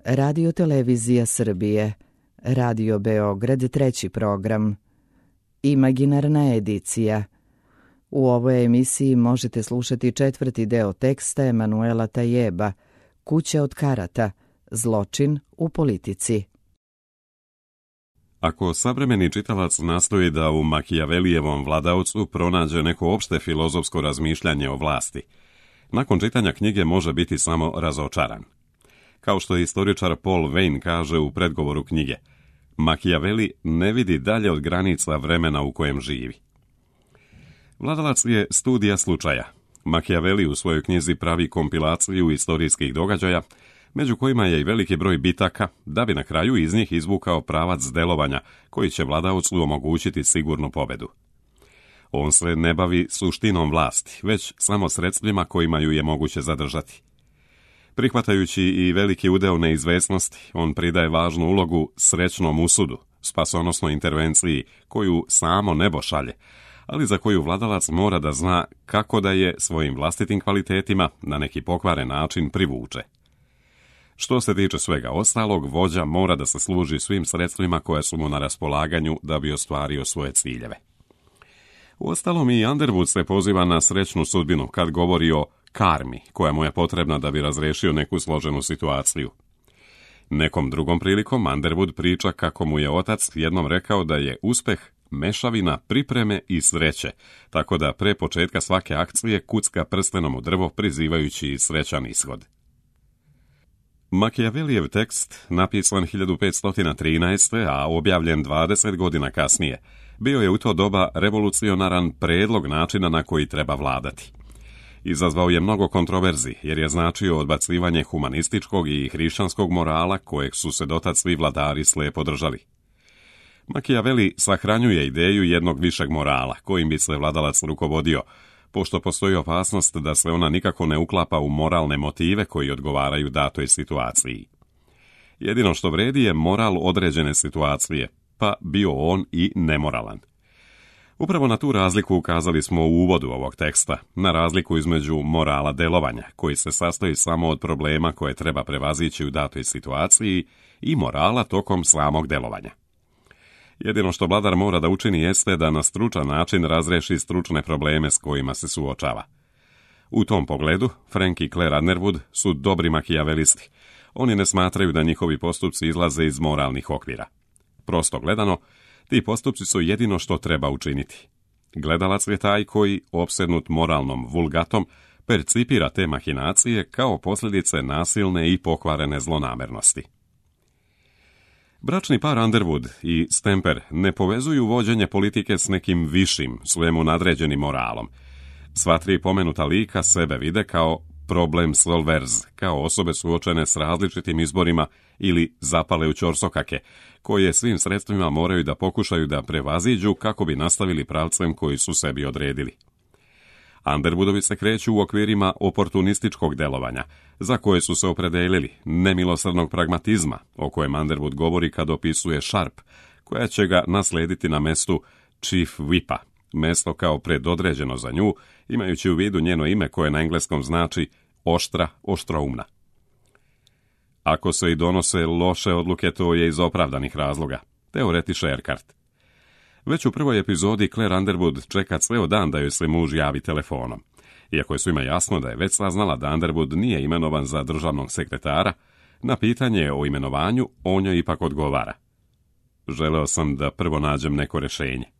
Radio Televizija Srbije, Radio Beograd 3. program, Imaginarna edicija. U ovoj emisiji možete slušati 4. deo teksta Emanuela Tajeba, Kuća od karata, zločin u politici. Ako savremeni čitalac nastoji da u Makijavelijevom Vladaocu pronađe neko opšte filozofsko razmišljanje o vlasti, nakon čitanja knjige može biti samo razočaran. Kao što istoričar Paul Veyne kaže u predgovoru knjige, Makijaveli ne vidi dalje od granica vremena u kojem živi. Vladalac je studija slučaja. Makijaveli u svojoj knjizi pravi kompilaciju istorijskih događaja, među kojima je i veliki broj bitaka, da bi na kraju iz njih izvukao pravac delovanja koji će Vladaocu omogućiti sigurnu pobedu. On se ne bavi suštinom vlasti, već samo sredstvima kojima ju je moguće zadržati. Prihvatajući i veliki udeo neizvesnosti, on pridaje važnu ulogu srećnom usudu, spasonosnoj intervenciji koju samo nebo šalje, ali za koju vladalac mora da zna kako da je svojim vlastitim kvalitetima na neki pokvaren način privuče. Što se tiče svega ostalog, vođa mora da se služi svim sredstvima koja su mu na raspolaganju da bi ostvario svoje ciljeve. Uostalom i Underwood se poziva na srećnu sudbinu kad govori o karmi koja mu je potrebna da bi razrešio neku složenu situaciju. Nekom drugom prilikom Underwood priča kako mu je otac jednom rekao da je uspeh mešavina pripreme i sreće, tako da pre početka svake akcije kucka prstenom u drvo prizivajući srećan ishod. Makijavelijev tekst, napisan 1513. a objavljen 20 godina kasnije, bio je u to doba revolucionaran predlog načina na koji treba vladati. Izazvao je mnogo kontroverzi jer je značio odbacivanje humanističkog i hrišćanskog morala kojeg su se dotad svi vladari slepo držali. Makijaveli sahranjuje ideju jednog višeg morala kojim bi se vladalac rukovodio, pošto postoji opasnost da se ona nikako ne uklapa u moralne motive koji odgovaraju datoj situaciji. Jedino što vredi je moral određene situacije, pa bio on i nemoralan. Upravo na tu razliku ukazali smo u uvodu ovog teksta, na razliku između morala delovanja, koji se sastoji samo od problema koje treba prevazići u datoj situaciji, i morala tokom samog delovanja. Jedino što vladar mora da učini jeste da na stručan način razreši stručne probleme s kojima se suočava. U tom pogledu, Frank i Claire Underwood su dobri makijavelisti. Oni ne smatraju da njihovi postupci izlaze iz moralnih okvira. Prosto gledano, ti postupci su jedino što treba učiniti. Gledalac je taj koji, opsednut moralnom vulgatom, percipira te mahinacije kao posljedice nasilne i pokvarene zlonamernosti. Bračni par Underwood i Stamper ne povezuju vođenje politike s nekim višim, svemu nadređenim moralom. Sva tri pomenuta lika sebe vide kao problem solvers, kao osobe suočene s različitim izborima ili zapale u ćorsokake, koje svim sredstvima moraju da pokušaju da prevaziđu kako bi nastavili pravcem koji su sebi odredili. Underwoodovi se kreću u okvirima oportunističkog delovanja, za koje su se opredelili, nemilosrdnog pragmatizma, o kojem Underwood govori kad opisuje Sharp, koja će ga naslediti na mestu Chief Whipa, mesto kao predodređeno za nju, imajući u vidu njeno ime koje na engleskom znači oštra, oštroumna. Ako se i donose loše odluke, to je iz opravdanih razloga, teoretiše Erkart. Već u prvoj epizodi Claire Underwood čeka ceo dan da joj se muž javi telefonom. Iako je svima jasno da je već saznala da Underwood nije imenovan za državnog sekretara, na pitanje o imenovanju on joj ipak odgovara. Želeo sam da prvo nađem neko rešenje.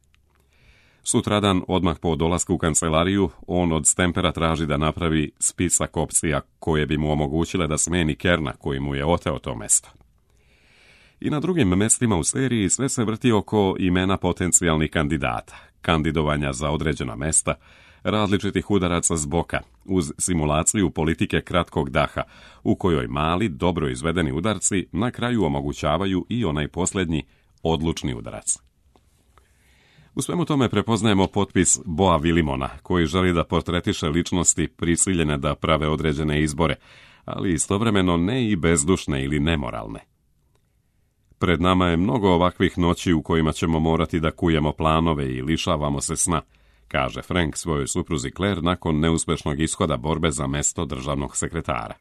Sutradan, odmah po dolasku u kancelariju, on od Stampera traži da napravi spisak opcija koje bi mu omogućile da smeni Kerna koji mu je oteo to mesto. I na drugim mestima u seriji sve se vrti oko imena potencijalnih kandidata, kandidovanja za određena mesta, različitih udaraca s boka, uz simulaciju politike kratkog daha, u kojoj mali, dobro izvedeni udarci na kraju omogućavaju i onaj posljednji, odlučni udarac. U svemu tome prepoznajemo potpis Boa Willimona, koji želi da portretiše ličnosti prisiljene da prave određene izbore, ali istovremeno ne i bezdušne ili nemoralne. Pred nama je mnogo ovakvih noći u kojima ćemo morati da kujemo planove i lišavamo se sna, kaže Frank svojoj supruzi Claire nakon neuspešnog ishoda borbe za mesto državnog sekretara.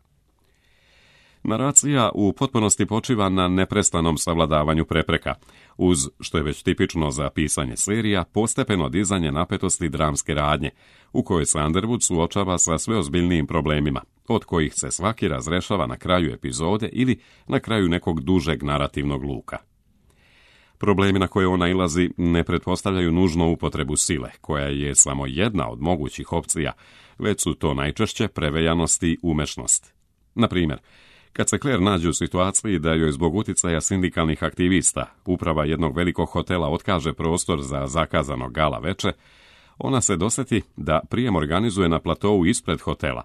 Naracija u potpunosti počiva na neprestanom savladavanju prepreka, uz, što je već tipično za pisanje serija, postepeno dizanje napetosti dramske radnje, u kojoj se Underwood suočava sa sve ozbiljnijim problemima, od kojih se svaki razrešava na kraju epizode ili na kraju nekog dužeg narativnog luka. Problemi na koje on nailazi ne pretpostavljaju nužno upotrebu sile, koja je samo jedna od mogućih opcija, već su to najčešće preveljanost i umešnost. Na primjer, kad se Claire nađe u situaciji da joj zbog uticaja sindikalnih aktivista uprava jednog velikog hotela otkaže prostor za zakazano gala veče, ona se dosjeti da prijem organizuje na platou ispred hotela,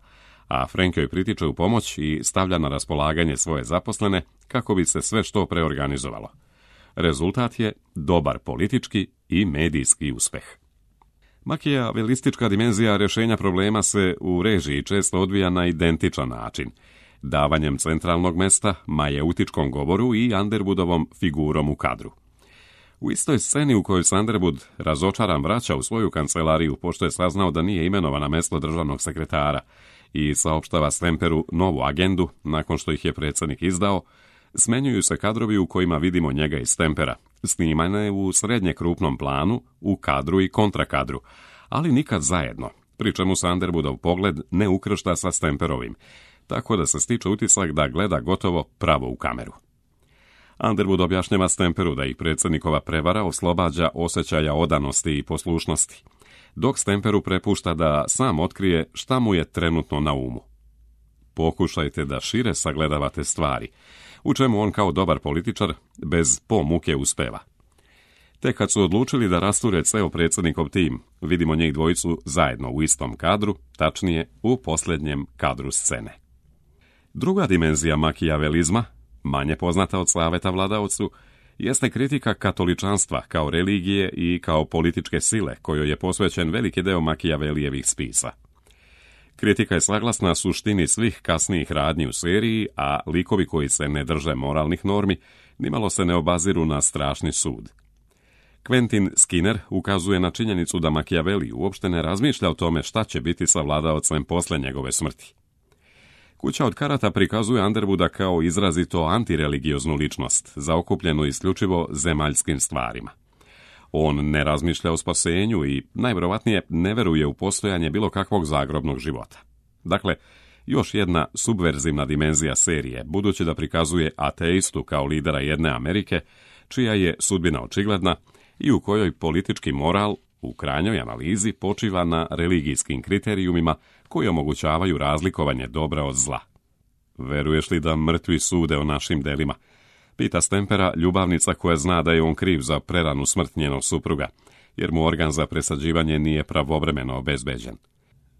a Frank joj pritiče u pomoć i stavlja na raspolaganje svoje zaposlene kako bi se sve što preorganizovalo. Rezultat je dobar politički i medijski uspeh. Makijavelistička dimenzija rješenja problema se u režiji često odvija na identičan način, davanjem centralnog mesta majeutičkom govoru i Underwoodovom figurom u kadru. U istoj sceni u kojoj se Underwood razočaran vraća u svoju kancelariju pošto je saznao da nije imenovan na mesto državnog sekretara i saopštava Stemperu novu agendu nakon što ih je predsjednik izdao, smenjuju se kadrovi u kojima vidimo njega i Stempera, snimane u srednje krupnom planu, u kadru i kontrakadru, ali nikad zajedno, pri čemu se Underwoodov pogled ne ukršta sa Stemperovim, tako da se stiče utisak da gleda gotovo pravo u kameru. Underwood objašnjava Stemperu da ih predsjednikova prevara oslobađa osjećaja odanosti i poslušnosti, dok Stemperu prepušta da sam otkrije šta mu je trenutno na umu. Pokušajte da šire sagledavate stvari, u čemu on kao dobar političar bez muke uspeva. Te kad su odlučili da rasture ceo predsjednikov tim, vidimo njih dvojicu zajedno u istom kadru, tačnije u posljednjem kadru scene. Druga dimenzija makijavelizma, manje poznata od Saveta vladaocu, jeste kritika katoličanstva kao religije i kao političke sile, kojoj je posvećen veliki deo Makijavelijevih spisa. Kritika je saglasna suštini svih kasnijih radnji u seriji, a likovi koji se ne drže moralnih normi nimalo se ne obaziru na strašni sud. Quentin Skinner ukazuje na činjenicu da Machiavelli uopšte ne razmišlja o tome šta će biti sa vladaocem posle njegove smrti. Kuća od karata prikazuje Underwooda kao izrazito antireligioznu ličnost, zaokupljenu isključivo zemaljskim stvarima. On ne razmišlja o spasenju i, najvjerovatnije, ne veruje u postojanje bilo kakvog zagrobnog života. Dakle, još jedna subverzivna dimenzija serije, budući da prikazuje ateistu kao lidera jedne Amerike, čija je sudbina očigledna i u kojoj politički moral, u krajnjoj analizi, počiva na religijskim kriterijumima koji omogućavaju razlikovanje dobra od zla. Veruješ li da mrtvi sude o našim delima? Pita Stempera ljubavnica koja zna da je on kriv za preranu smrt njenog supruga, jer mu organ za presađivanje nije pravovremeno obezbeđen.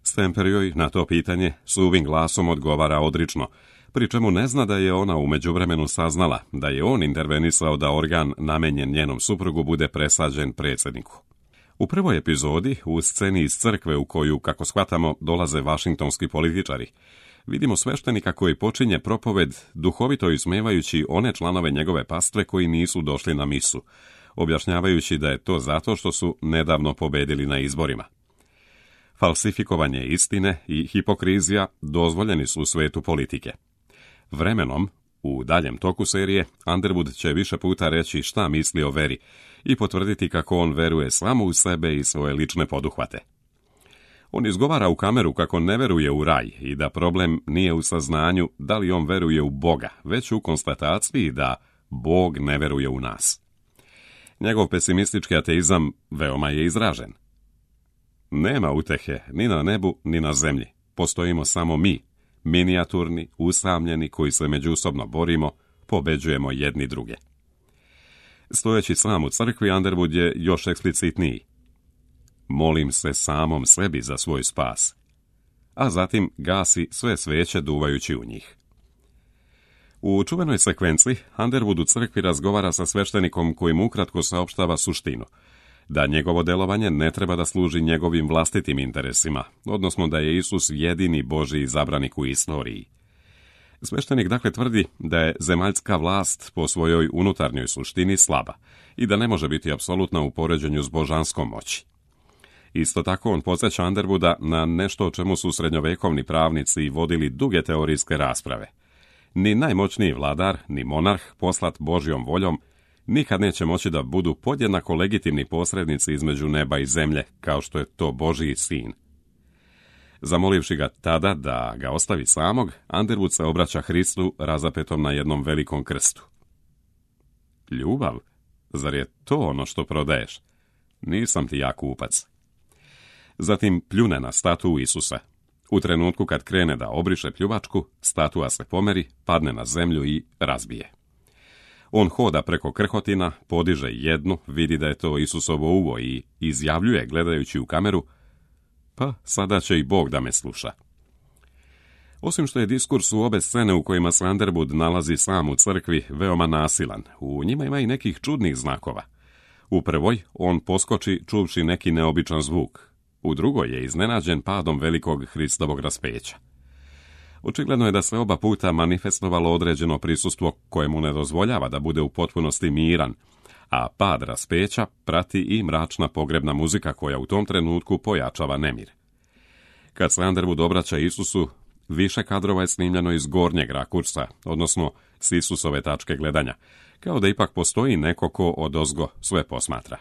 Stemper joj na to pitanje suvim glasom odgovara odrično, pri čemu ne zna da je ona u međuvremenu saznala da je on intervenisao da organ namenjen njenom suprugu bude presađen predsjedniku. U prvoj epizodi, u sceni iz crkve u koju, kako shvatamo, dolaze vašingtonski političari, vidimo sveštenika koji počinje propoved duhovito ismevajući one članove njegove pastve koji nisu došli na misu, objašnjavajući da je to zato što su nedavno pobedili na izborima. Falsifikovanje istine i hipokrizija dozvoljeni su u svetu politike. Vremenom, u daljem toku serije, Underwood će više puta reći šta misli o veri i potvrditi kako on veruje samo u sebe i svoje lične poduhvate. On izgovara u kameru kako ne veruje u raj i da problem nije u saznanju da li on veruje u Boga, već u konstataciji da Bog ne veruje u nas. Njegov pesimistički ateizam veoma je izražen. Nema utehe ni na nebu ni na zemlji, postojimo samo mi, minijaturni, usamljeni koji se međusobno borimo, pobeđujemo jedni druge. Stojeći sam u crkvi, Underwood je još eksplicitniji. Molim se samom sebi za svoj spas, a zatim gasi sve sveće duvajući u njih. U čuvenoj sekvenciji Underwood u crkvi razgovara sa sveštenikom koji mu ukratko saopštava suštinu, da njegovo delovanje ne treba da služi njegovim vlastitim interesima, odnosno da je Isus jedini Božji izabranik u istoriji. Sveštenik dakle tvrdi da je zemaljska vlast po svojoj unutarnjoj suštini slaba i da ne može biti apsolutna u poređenju s božanskom moći. Isto tako on podsjeća Underwooda na nešto o čemu su srednjovekovni pravnici vodili duge teorijske rasprave. Ni najmoćniji vladar, ni monarh poslat Božjom voljom nikad neće moći da budu podjednako legitimni posrednici između neba i zemlje, kao što je to Božji sin. Zamolivši ga tada da ga ostavi samog, Underwood se obraća Hristu razapetom na jednom velikom krstu. Ljubav? Zar je to ono što prodaješ? Nisam ti ja kupac. Zatim pljune na statu Isusa. U trenutku kad krene da obriše pljuvačku, statua se pomeri, padne na zemlju i razbije. On hoda preko krhotina, podiže jednu, vidi da je to Isusovo uvo i izjavljuje gledajući u kameru: pa sada će i Bog da me sluša. Osim što je diskurs u obe scene u kojima se Underwood nalazi sam u crkvi veoma nasilan, u njima ima i nekih čudnih znakova. U prvoj on poskoči čuvši neki neobičan zvuk, u drugoj je iznenađen padom velikog Hristovog raspeća. Očigledno je da se oba puta manifestovalo određeno prisustvo koje mu ne dozvoljava da bude u potpunosti miran, a pad raspeća prati i mračna pogrebna muzika koja u tom trenutku pojačava nemir. Kad se Underwood obraća Isusu, više kadrova je snimljeno iz gornjeg rakursa, odnosno s Isusove tačke gledanja, kao da ipak postoji neko ko odozgo sve posmatra.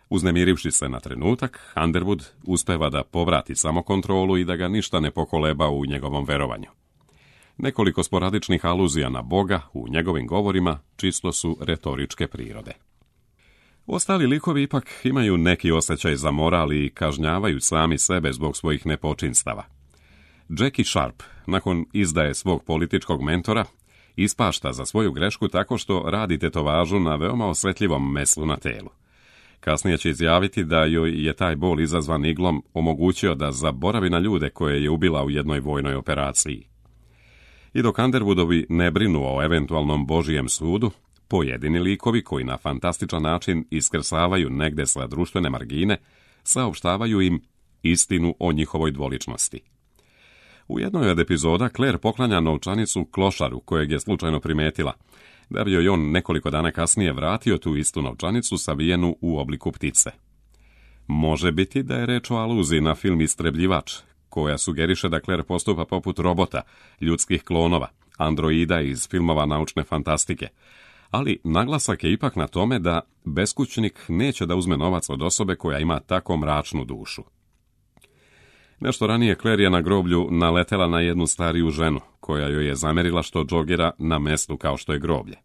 Uznemirivši se na trenutak, Underwood uspeva da povrati samokontrolu i da ga ništa ne pokoleba u njegovom verovanju. Nekoliko sporadičnih aluzija na Boga u njegovim govorima čisto su retoričke prirode. Ostali likovi ipak imaju neki osjećaj za moral i kažnjavaju sami sebe zbog svojih nepočinstava. Jackie Sharp, nakon izdaje svog političkog mentora, ispašta za svoju grešku tako što radi tetovažu na veoma osjetljivom meslu na telu. Kasnije će izjaviti da joj je taj bol izazvan iglom omogućio da zaboravi na ljude koje je ubila u jednoj vojnoj operaciji. I dok Underwoodovi ne brinu o eventualnom Božijem sudu, pojedini likovi koji na fantastičan način iskrsavaju negde sa društvene margine, saopštavaju im istinu o njihovoj dvoličnosti. U jednoj od epizoda Claire poklanja novčanicu klošaru kojeg je slučajno primetila, da bi joj on nekoliko dana kasnije vratio tu istu novčanicu savijenu u obliku ptice. Može biti da je reč o aluziji na film Istrebljivač, koja sugeriše da Claire postupa poput robota, ljudskih klonova, androida iz filmova naučne fantastike, ali naglasak je ipak na tome da beskućnik neće da uzme novac od osobe koja ima tako mračnu dušu. Nešto ranije Claire je na groblju naletela na jednu stariju ženu, koja joj je zamerila što džogira na mestu kao što je groblje.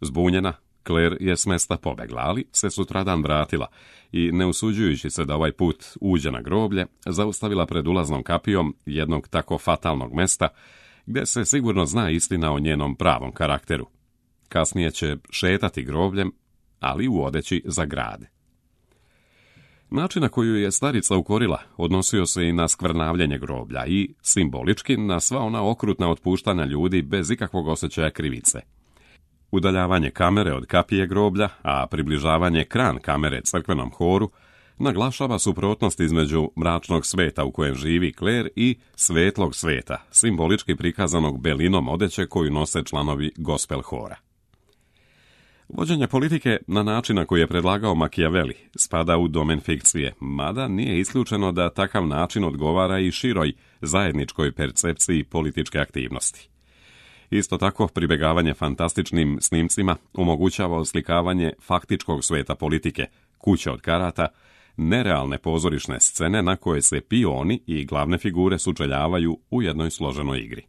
Zbunjena, Claire je s mesta pobegla, ali se sutradan vratila i, ne usuđujući se da ovaj put uđe na groblje, zaustavila pred ulaznom kapijom jednog tako fatalnog mesta, gde se sigurno zna istina o njenom pravom karakteru. Kasnije će šetati grobljem, ali u odeći za grad. Način na koju je starica ukorila odnosio se i na skvrnavljenje groblja i, simbolički, na sva ona okrutna otpuštanja ljudi bez ikakvog osjećaja krivice. Udaljavanje kamere od kapije groblja, a približavanje kran kamere crkvenom horu, naglašava suprotnost između mračnog sveta u kojem živi Claire i svetlog sveta, simbolički prikazanog belinom odeće koju nose članovi gospel hora. Vođenje politike na način na koji je predlagao Machiavelli spada u domen fikcije, mada nije isključeno da takav način odgovara i široj zajedničkoj percepciji političke aktivnosti. Isto tako, pribegavanje fantastičnim snimcima omogućava oslikavanje faktičkog sveta politike, kuće od karata, nerealne pozorišne scene na koje se pioni i glavne figure sučeljavaju u jednoj složenoj igri.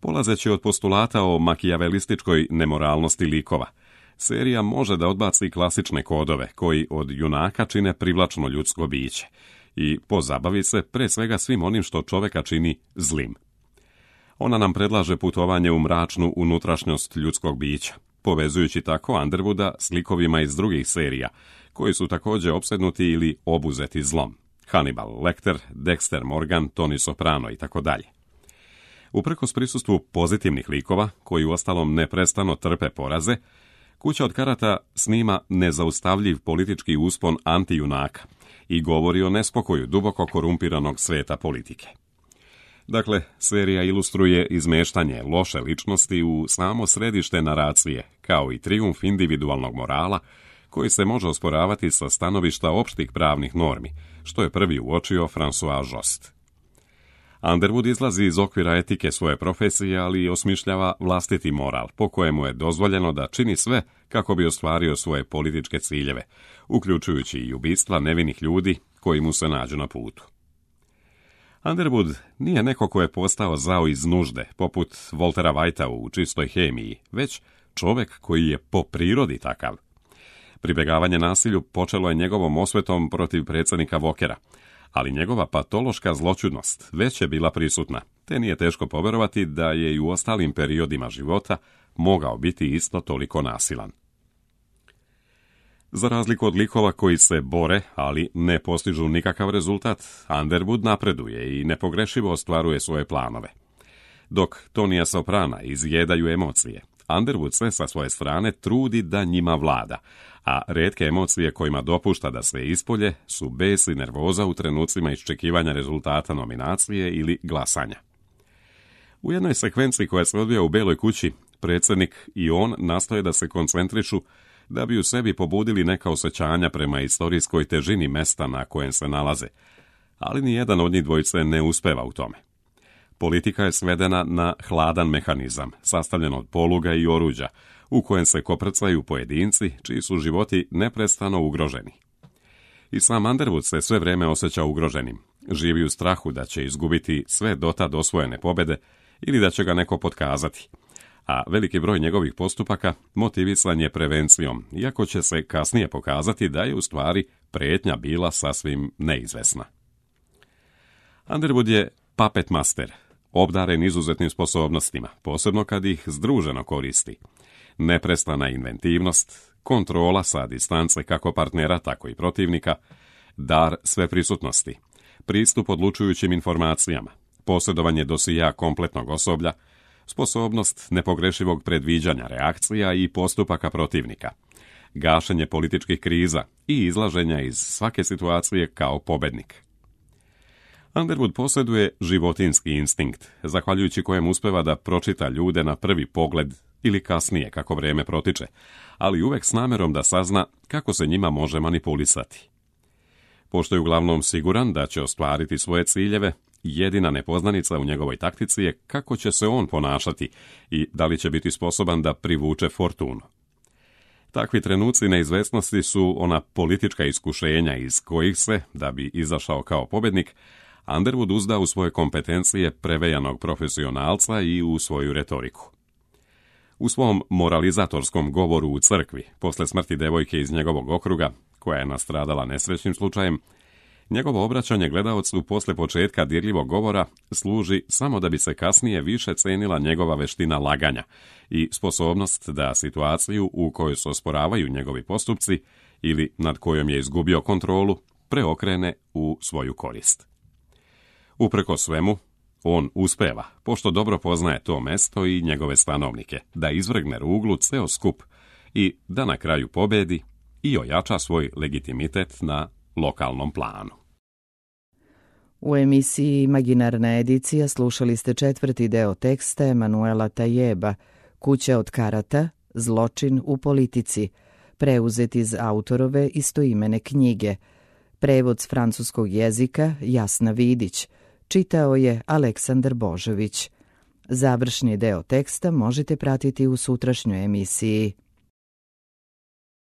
Polazeći od postulata o makijavelističkoj nemoralnosti likova, serija može da odbaci klasične kodove koji od junaka čine privlačno ljudsko biće i pozabavi se pre svega svim onim što čoveka čini zlim. Ona nam predlaže putovanje u mračnu unutrašnjost ljudskog bića, povezujući tako Underwooda s likovima iz drugih serija, koji su također opsednuti ili obuzeti zlom. Hannibal Lecter, Dexter Morgan, Tony Soprano i tako dalje. Uprkos prisustvu pozitivnih likova, koji uostalom neprestano trpe poraze, Kuća od karata snima nezaustavljiv politički uspon antijunaka i govori o nespokoju duboko korumpiranog sveta politike. Dakle, serija ilustruje izmeštanje loše ličnosti u samo središte naracije, kao i trijumf individualnog morala, koji se može osporavati sa stanovišta opštih pravnih normi, što je prvi uočio François Jost. Underwood izlazi iz okvira etike svoje profesije, ali osmišljava vlastiti moral, po kojemu je dozvoljeno da čini sve kako bi ostvario svoje političke ciljeve, uključujući i ubistva nevinih ljudi koji mu se nađu na putu. Underwood nije neko ko je postao zao iz nužde, poput Waltera Whitea u Čistoj hemiji, već čovjek koji je po prirodi takav. Pribjegavanje nasilju počelo je njegovom osvetom protiv predsjednika Walkera, ali njegova patološka zloćudnost već je bila prisutna, te nije teško povjerovati da je i u ostalim periodima života mogao biti isto toliko nasilan. Za razliku od likova koji se bore, ali ne postižu nikakav rezultat, Underwood napreduje i nepogrešivo ostvaruje svoje planove. Dok Tonija Soprana izjedaju emocije, Underwood se sa svoje strane trudi da njima vlada, a retke emocije kojima dopušta da se ispolje su bes i nervoza u trenucima iščekivanja rezultata nominacije ili glasanja. U jednoj sekvenciji koja se odvija u Beloj kući, predsjednik i on nastoje da se koncentrišu da bi u sebi pobudili neka osjećanja prema istorijskoj težini mesta na kojem se nalaze, ali nijedan od njih dvojice ne uspeva u tome. Politika je svedena na hladan mehanizam, sastavljen od poluga i oruđa, u kojem se koprcaju pojedinci čiji su životi neprestano ugroženi. I sam Underwood se sve vrijeme osjeća ugroženim, živi u strahu da će izgubiti sve dotad osvojene pobjede ili da će ga neko potkazati, a veliki broj njegovih postupaka motivisan je prevencijom, iako će se kasnije pokazati da je u stvari prijetnja bila sasvim neizvesna. Underwood je puppet master, obdaren izuzetnim sposobnostima, posebno kad ih združeno koristi. Neprestana inventivnost, kontrola sa distance kako partnera, tako i protivnika, dar sveprisutnosti, pristup odlučujućim informacijama, posjedovanje dosija kompletnog osoblja, sposobnost nepogrešivog predviđanja reakcija i postupaka protivnika, gašenje političkih kriza i izlaženja iz svake situacije kao pobednik. Underwood posjeduje životinjski instinkt, zahvaljujući kojem uspeva da pročita ljude na prvi pogled ili kasnije kako vrijeme protiče, ali uvek s namjerom da sazna kako se njima može manipulisati. Pošto je uglavnom siguran da će ostvariti svoje ciljeve, jedina nepoznanica u njegovoj taktici je kako će se on ponašati i da li će biti sposoban da privuče fortunu. Takvi trenuci neizvesnosti su ona politička iskušenja iz kojih se, da bi izašao kao pobjednik, Underwood uzda u svoje kompetencije prevejanog profesionalca i u svoju retoriku. U svom moralizatorskom govoru u crkvi, posle smrti devojke iz njegovog okruga, koja je nastradala nesrećnim slučajem, njegovo obraćanje gledaocu posle početka dirljivog govora služi samo da bi se kasnije više cenila njegova veština laganja i sposobnost da situaciju u kojoj se osporavaju njegovi postupci ili nad kojom je izgubio kontrolu preokrene u svoju korist. Uprkos svemu, on uspeva, pošto dobro poznaje to mesto i njegove stanovnike, da izvrgne ruglu ceo skup i da na kraju pobedi i ojača svoj legitimitet na lokalnom planu. U emisiji Imaginarna edicija slušali ste 4. deo teksta Emanuela Tajeba, Kuća od karata, zločin u politici, preuzet iz autorove istoimene knjige. Prevod s francuskog jezika Jasna Vidić, čitao je Aleksandar Božović. Završni deo teksta možete pratiti u sutrašnjoj emisiji.